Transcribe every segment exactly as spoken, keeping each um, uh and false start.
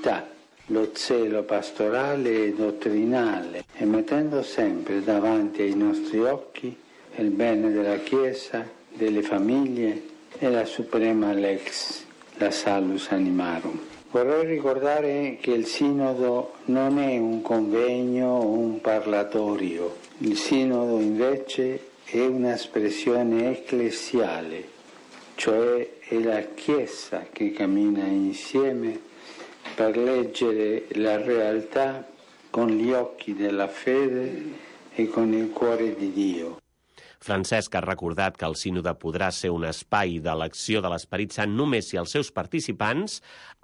vita lo zelo pastorale e dottrinale e mettendo sempre davanti ai nostri occhi il bene della Chiesa, delle famiglie e la suprema lex, la salus animarum. Vorrei ricordare che il Sinodo non è un convegno o un parlatorio. Il Sinodo invece è un'espressione ecclesiale, cioè è la Chiesa che cammina insieme per leggere la realtà con gli occhi della fede e con il cuore di Dio. Francesc ha recordat que el sínode podrà ser un espai d'elecció de l'Esperit Sant només si els seus participants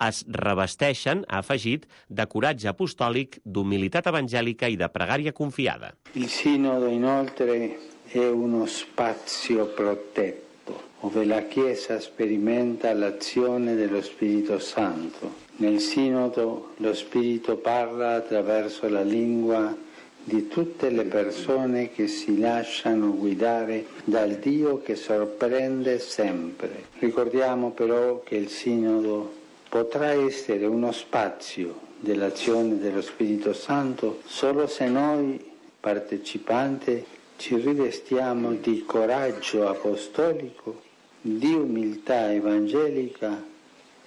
es revesteixen, ha afegit, de coratge apostòlic, d'humilitat evangèlica i de pregària confiada. Il Sinodo inoltre è uno spazio protetto, dove la Chiesa sperimenta l'azione dello Spirito Santo. Nel Sinodo lo Spirito parla attraverso la lingua di tutte le persone che si lasciano guidare dal Dio che sorprende sempre. Ricordiamo però che il Sinodo potrà essere uno spazio dell'azione dello Spirito Santo solo se noi partecipanti ci rivestiamo di coraggio apostolico, di umiltà evangelica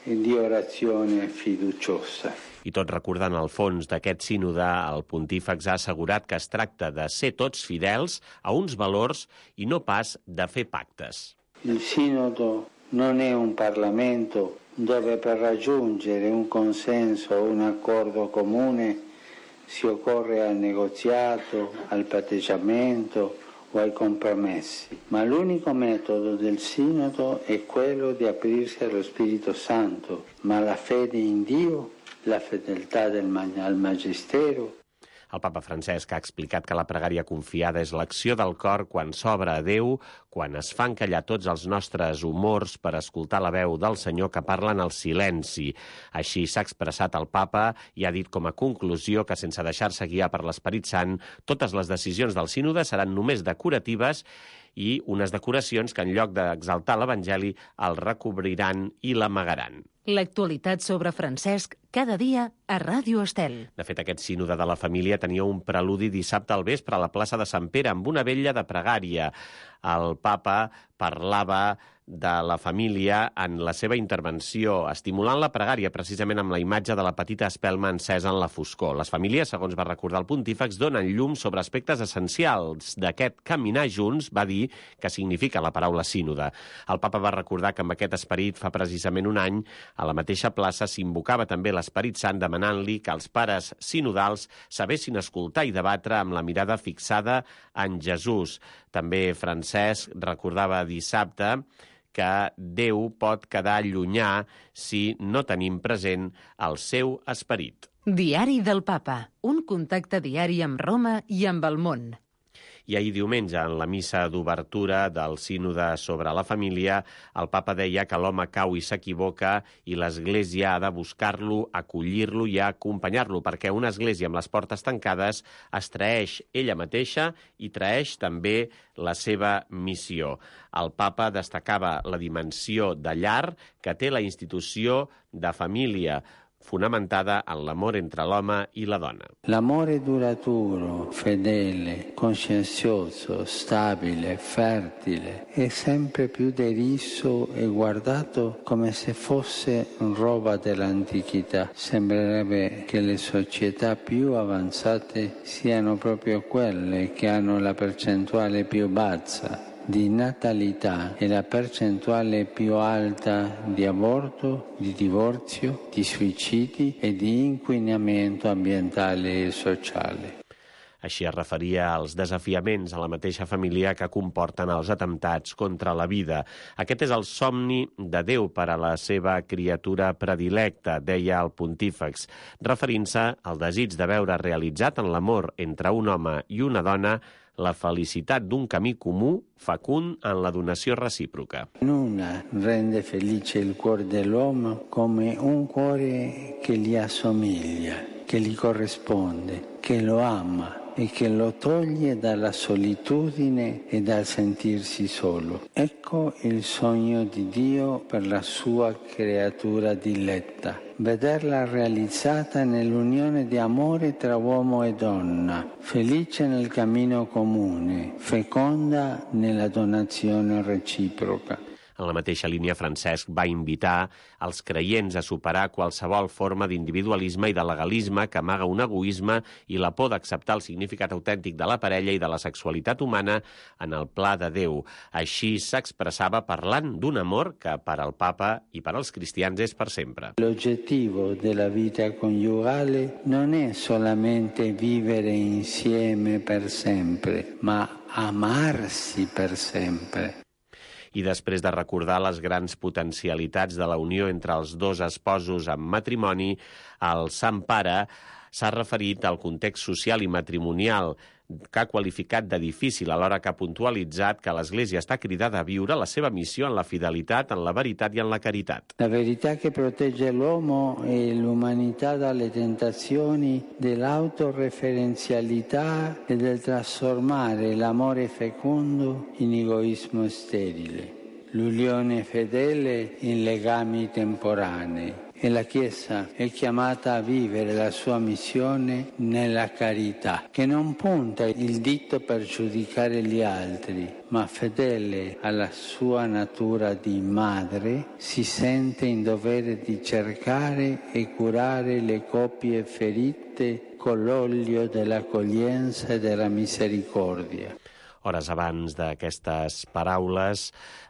e di orazione fiduciosa. I tot recordant el fons d'aquest sínode, el pontífex ha assegurat que es tracta de ser tots fidels a uns valors i no pas de fer pactes. Il Sinodo non è un Parlamento dove per raggiungere un consenso o un accordo comune si occorre al negoziato, al patteggiamento o ai compromessi, ma l'unico metodo del Sinodo è quello di aprirsi allo Spirito Santo, ma la fede in Dio, la fedeltà del mag- al Magistero. El papa Francesc ha explicat que la pregària confiada és l'acció del cor quan s'obre a Déu, quan es fan callar tots els nostres humors per escoltar la veu del Senyor que parla en el silenci. Així s'ha expressat el papa i ha dit com a conclusió que sense deixar-se guiar per l'Esperit Sant, totes les decisions del sínode seran només decoratives i unes decoracions que en lloc d'exaltar l'Evangeli el recobriran i l'amagaran. L'actualitat sobre Francesc cada dia a Ràdio Estel. De fet, aquest sínode de la família tenia un preludi dissabte al vespre a la plaça de Sant Pere amb una vetlla de pregària. El papa parlava de la família en la seva intervenció, estimulant la pregària precisament amb la imatge de la petita espelma encesa en la foscor. Les famílies, segons va recordar el pontífex, donen llum sobre aspectes essencials d'aquest caminar junts, va dir, que significa la paraula sínode. El papa va recordar que amb aquest esperit fa precisament un any a la mateixa plaça s'invocava també l'Esperit Sant demanant-li que els pares sinodals sabessin escoltar i debatre amb la mirada fixada en Jesús. També Francesc recordava dissabte que Déu pot quedar llunyà si no tenim present el seu esperit. Diari del Papa, un contacte diari amb Roma i amb el món. I ahir diumenge, en la missa d'obertura del sínode sobre la família, el papa deia que l'home cau i s'equivoca i l'Església ha de buscar-lo, acollir-lo i acompanyar-lo, perquè una església amb les portes tancades es traeix ella mateixa i traeix també la seva missió. El papa destacava la dimensió de llar que té la institució de família, fonamentada en l'amor entre l'home i la donna. L'amore duraturo, fedele, conscienzioso, stabile, fertile, è sempre più deriso e guardato come se fosse roba dell'antichità. Sembrerebbe che le società più avanzate siano proprio quelle che hanno la percentuale più bassa di natalità e la percentuale più alta di aborto, di divorzio, di suicidi e di inquinamento ambientale e sociale. Així es referia als desafiaments a la mateixa família que comporten els atemptats contra la vida. Aquest és el somni de Déu per a la seva criatura predilecta, deia el pontífex, referint-se al desig de veure realitzat en l'amor entre un home i una dona la felicitat d'un camí comú fecund en la donació recíproca. Nulla rende felice il cuore dell'uomo come un cuore che gli assomiglia, che gli corrisponde, che lo ama e che lo toglie dalla solitudine e dal sentirsi solo. Ecco il sogno di Dio per la sua creatura diletta. Vederla realizzata nell'unione di amore tra uomo e donna, felice nel cammino comune, feconda nella donazione reciproca. En la mateixa línia, Francesc va invitar els creients a superar qualsevol forma d'individualisme i de legalisme que amaga un egoisme i la por d'acceptar el significat autèntic de la parella i de la sexualitat humana en el pla de Déu. Així s'expressava parlant d'un amor que per al papa i per als cristians és per sempre. L'obiettivo della vita coniugale non è solamente vivere insieme per sempre, ma amarsi per sempre. I després de recordar les grans potencialitats de la unió entre els dos esposos en matrimoni, el Sant Pare s'ha referit al context social i matrimonial que ha qualificat de difícil, alhora que ha puntualitzat que l'Església està cridada a viure la seva missió en la fidelitat, en la veritat i en la caritat. La verità che protegge l'uomo e l'umanità dalle tentazioni dell'autoreferenzialità e del trasformare l'amore fecondo in egoismo sterile, l'unione fedele in legami temporanei. E la Chiesa è chiamata a vivere la sua missione nella carità, che non punta il dito per giudicare gli altri, ma fedele alla sua natura di madre, si sente in dovere di cercare e curare le coppie ferite con l'olio dell'accoglienza e della misericordia. Hores abans d'aquestes paraules,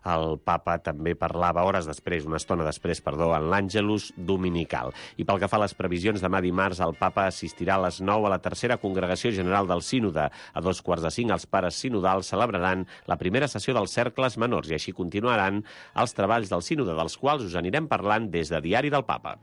el papa també parlava, hores després, una estona després, perdó, en l'Àngelus Dominical. I pel que fa a les previsions, demà dimarts el papa assistirà a les nou a la tercera congregació general del sínode. A dos quarts de cinc els pares sinodals celebraran la primera sessió dels cercles menors i així continuaran els treballs del sínode, dels quals us anirem parlant des de Diari del Papa.